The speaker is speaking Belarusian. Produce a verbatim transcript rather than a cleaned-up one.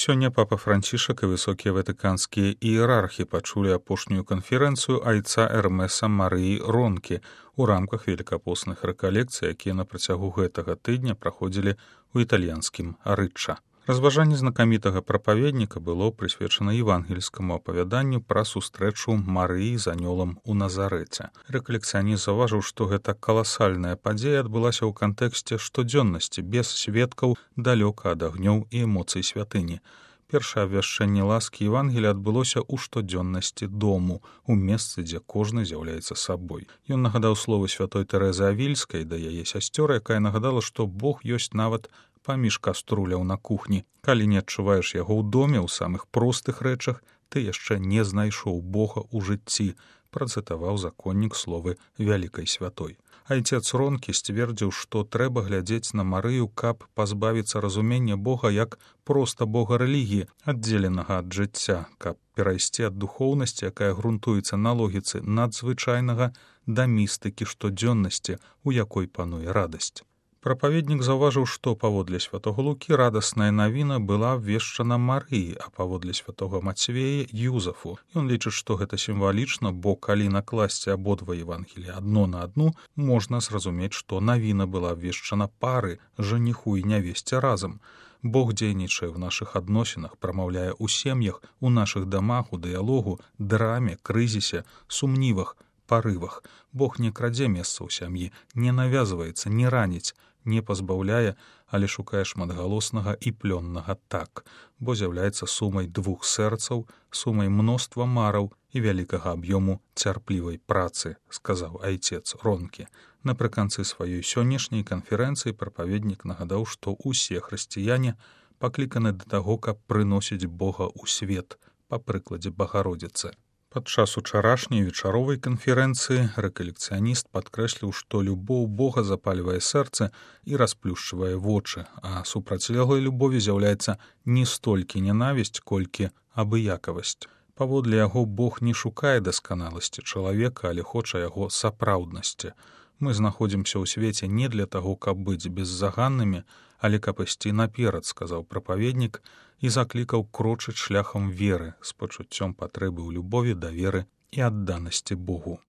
Сёння папа Францішак і высокія ватыканскія іерархі пачулі апошнюю канферэнцыю айца Эрмеса Марыі Ронкі у рамках велікапостных рэкалекцый, якія на працягу гэтага тыдня праходзілі ў італьянскім Арычча. Разважанне знакамітага прапаведніка было прысвечана евангельскаму апавяданню пра сустрэчу Марыі з анёлам у Назарэце. Рэкалекцыяніст заўважыў, што гэта каласальная падзея адбылася ў кантэксце штодзённасці, без сведкаў, далёка ад агнёў і эмоцый святыні. Першае абвяшчэнне ласкі Евангелія адбылося ў штодзённасці дому, у месцы, дзе кожны з'яўляецца сабой. Ён нагадаў словы святой Тэрэзы Авільскай да яе сясцёр, якая нагадала, што Бог ёсць нават паміж каструляў на кухні. Калі не адчуваеш яго ў доме, у самых простых рэчах, ты яшчэ не знайшоў Бога ў жыцці, працытаваў законнік словы вялікай святой. Айцец Ронкі сцвердзіў, што трэба глядзець на Марыю, каб пазбавіцца разумення Бога як проста Бога рэлігіі, аддзеленага ад жыцця, каб перайсці ад духоўнасці, якая грунтуецца на логіцы надзвычайнага, да містыкі штодзённасці, у якой пануе радасць. Прапаведнік заўважыў, што паводле святога Лукі радасная навіна была абвешчана Марыі, а паводле святога Мацвея Юзафу. Ён лічыць, што гэта сімвалічна, бо калі накласці абодва Евангелія адно на адну, можна зразумець, што навіна была абвешчана пары, жаніху і нявесце разам. Бог дзейнічае ў нашых адносінах, прамаўляе ў сем'ях, у нашых дамах, у дыялогу, драме, крызісе, сумнівах, парывах. Бог не крадзе месца ў сям'і, не навязваецца, не раніць, не пазбаўляе, але шукае шматгалоснага і плённага так, бо з'яўляецца сумай двух сэрцаў, сумай мноства мараў і вялікага аб'ёму цярплівай працы, сказаў айцец Ронкі. Напрыканцы сваёй сённяшняй канферэнцыі прапаведнік нагадаў, што ўсе хрысціяне пакліканы да таго, каб прыносіць Бога ў свет, па прыкладзе Багародзіцы. Падчас учарашняй вечаровай канферэнцыі рэкалекцыяніст падкрэсліў, што любоў Бога запальвае сэрца і расплюшчвае вочы, а супрацьлеглай любові з'яўляецца не столькі ненавісць, колькі абыякавасць. Паводле яго Бог не шукае дасканаласці чалавека, але хоча яго сапраўднасці. Мы знаходзімся ў свеце не для таго, каб быць беззаганнымі, але каб ісці наперад, сказаў прапаведнік, і заклікаў крочыць шляхам веры з пачуццём патрэбы ў любові, даверы і адданасці Богу.